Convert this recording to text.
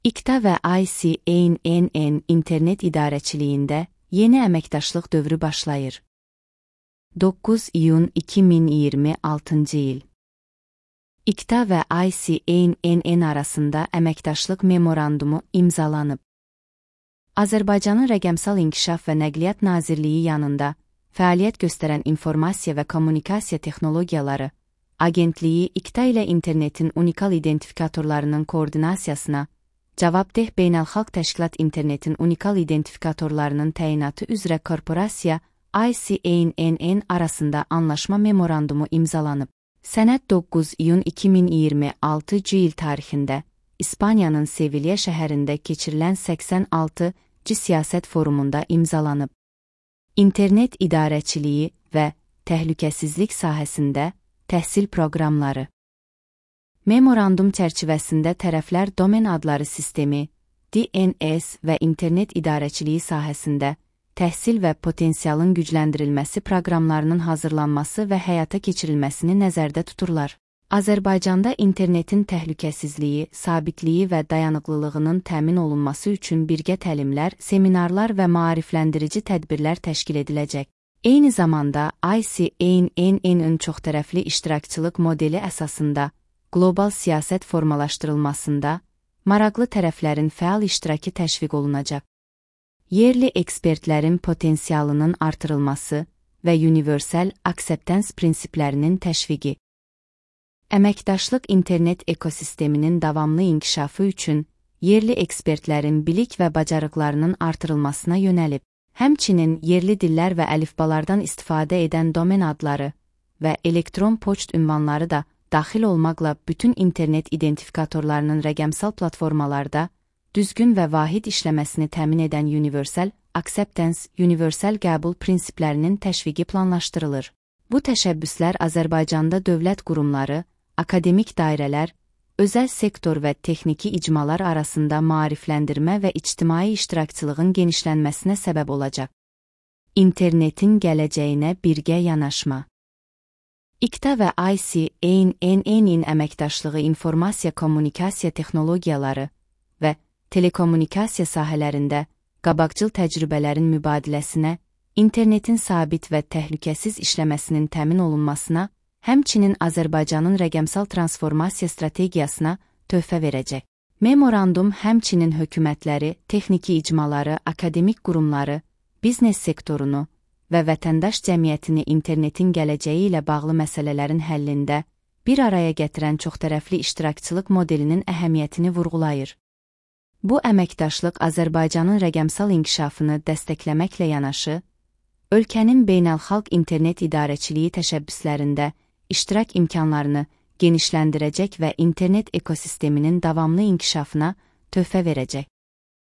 İKTA və ICANN internet idarəçiliyində yeni əməkdaşlıq dövrü başlayır. 9 iyun 2026 il. İKTA və ICANN arasında əməkdaşlıq memorandumu imzalanıb. Azərbaycanın Rəqəmsal İnkişaf və Nəqliyyat Nazirliyi yanında fəaliyyət göstərən İnformasiya və Kommunikasiya Texnologiyaları Agentliyi İKTA ilə internetin unikal identifikatorlarının koordinasiyasına, Cavabdeh Beynəlxalq Təşkilat internetin unikal identifikatorlarının təyinatı üzrə korporasiya ICANN arasında anlaşma memorandumu imzalanıb. Sənəd 9 iyun 2026 il tarixində İspaniyanın Sevilya şəhərində keçirilən 86. Siyasət forumunda imzalanıb. İnternet idarəçiliyi və təhlükəsizlik sahəsində təhsil proqramları. Memorandum çərçivəsində tərəflər domen adları sistemi, DNS və internet idarəçiliyi sahəsində təhsil və potensialın gücləndirilməsi proqramlarının hazırlanması və həyata keçirilməsini nəzərdə tuturlar. Azərbaycanda internetin təhlükəsizliyi, sabitliyi və dayanıqlılığının təmin olunması üçün birgə təlimlər, seminarlar və maarifləndirici tədbirlər təşkil ediləcək. Eyni zamanda ICANN-ın çoxtərəfli iştirakçılıq modeli əsasında qlobal siyasət formalaşdırılmasında maraqlı tərəflərin fəal iştirakı təşviq olunacaq. Yerli ekspertlərin potensialının artırılması və universal akseptans prinsiplərinin təşviqi. Əməkdaşlıq internet ekosisteminin davamlı inkişafı üçün yerli ekspertlərin bilik və bacarıqlarının artırılmasına yönəlib. Həmçinin yerli dillər və əlifbalardan istifadə edən domen adları və elektron poçt ünvanları da daxil olmaqla bütün internet identifikatorlarının rəqəmsal platformalarda düzgün və vahid işləməsini təmin edən universal acceptance, universal qəbul prinsiplərinin təşviqi planlaşdırılır. Bu təşəbbüslər Azərbaycanda dövlət qurumları, akademik dairələr, özəl sektor və texniki icmalar arasında maarifləndirmə və ictimai iştirakçılığın genişlənməsinə səbəb olacaq. İnternetin gələcəyinə birgə yanaşma. İKTA və ICANN-ın əməkdaşlığı informasiya kommunikasiya texnologiyaları və telekommunikasiya sahələrində qabaqcıl təcrübələrin mübadiləsinə, internetin sabit və təhlükəsiz işləməsinin təmin olunmasına, həmçinin Azərbaycanın rəqəmsal transformasiya strategiyasına töhfə verəcək. Memorandum həmçinin hökumətləri, texniki icmaları, akademik qurumları, biznes sektorunu və vətəndaş cəmiyyətini internetin gələcəyi ilə bağlı məsələlərin həllində bir araya gətirən çoxtərəfli iştirakçılıq modelinin əhəmiyyətini vurğulayır. Bu əməkdaşlıq Azərbaycanın rəqəmsal inkişafını dəstəkləməklə yanaşı, ölkənin beynəlxalq internet idarəçiliyi təşəbbüslərində iştirak imkanlarını genişləndirəcək və internet ekosisteminin davamlı inkişafına töhfə verəcək.